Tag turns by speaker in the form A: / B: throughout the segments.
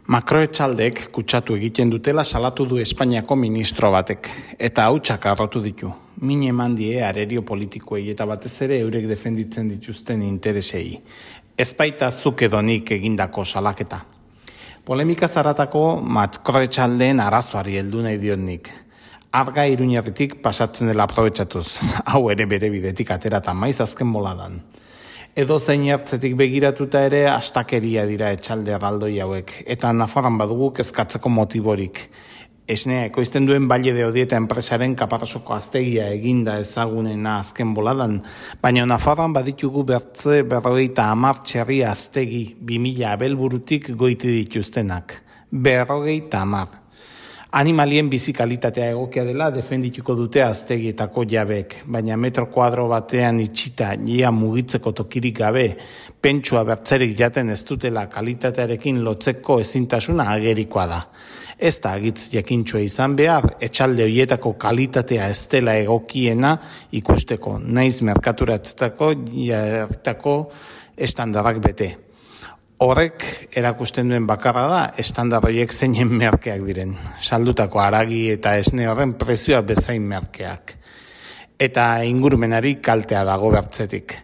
A: Makroetxaldek kutsatu egiten dutela salatu du Espainiako ministro batek, eta hautsak harrotu ditu. Min eman die arerio politikoei eta batez ere eurek defenditzen dituzten interesei. Ez baita zuk edo nik egindako salaketa. Polemika zaratako makroetxaldeen arazoari heldu nahi diot nik. Arga Iruñerritik pasatzen dela aprobetxatuz, hau ere bere bidetik aterata maiz azken boladan. Edo zein hartzetik begiratuta ere astakeria dira etxalde erraldoi hauek, eta Nafarroan badugu kezkatzeko motiborik. Esnea ekoizten duen Valle de Odieta enpresaren Kaparrasoko aztegia eginda ezagunena azken boladan, baina Nafarroan baditugu bertze 50 txerri aztegi 2000 abelburutik goiti dituztenak. 50. Animalien bizikalitatea egokia dela defendituko dute aztegietako jabek, baina metro kuadro batean itxita ia mugitzeko tokirik gabe, pentsua bertzerik jaten ez dutela kalitatearekin lotzeko ezintasuna agerikoa da. Ez da agitz jakintxoa izan behar, etxalde hoietako kalitatea ez dela egokiena ikusteko, naiz merkaturatzetako jartako estandarrak bete. Horrek erakusten duen bakarra da, estandar horiek zeinen merkeak diren. Saldutako haragi eta esne horren prezioa bezain merkeak. Eta ingurumenari kaltea dago bertzetik.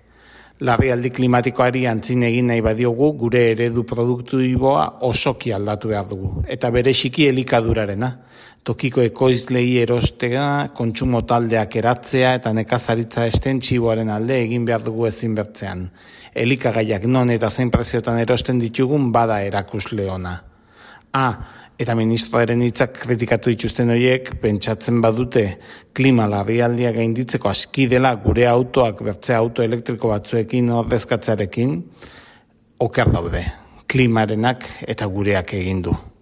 A: Larrialdi klimatikoari antzin egin nahi badiogu, gure eredu produktiboa osoki aldatu behar dugu. Eta bereziki elikadurarena. Tokiko ekoizlei erostega, kontsumo taldeak eratzea eta nekazaritza estentxiboaren alde egin behar dugu ezin bertzean. Elikagaiak non eta zein preziotan erosten ditugun bada erakusle ona. Eta ministroaren hitzak kritikatu dituzten horiek, pentsatzen badute klima larrialdia gainditzeko aski dela gure autoak bertze auto elektriko batzuekin ordezkatzearekin, oker daude, klimarenak eta gureak egin du.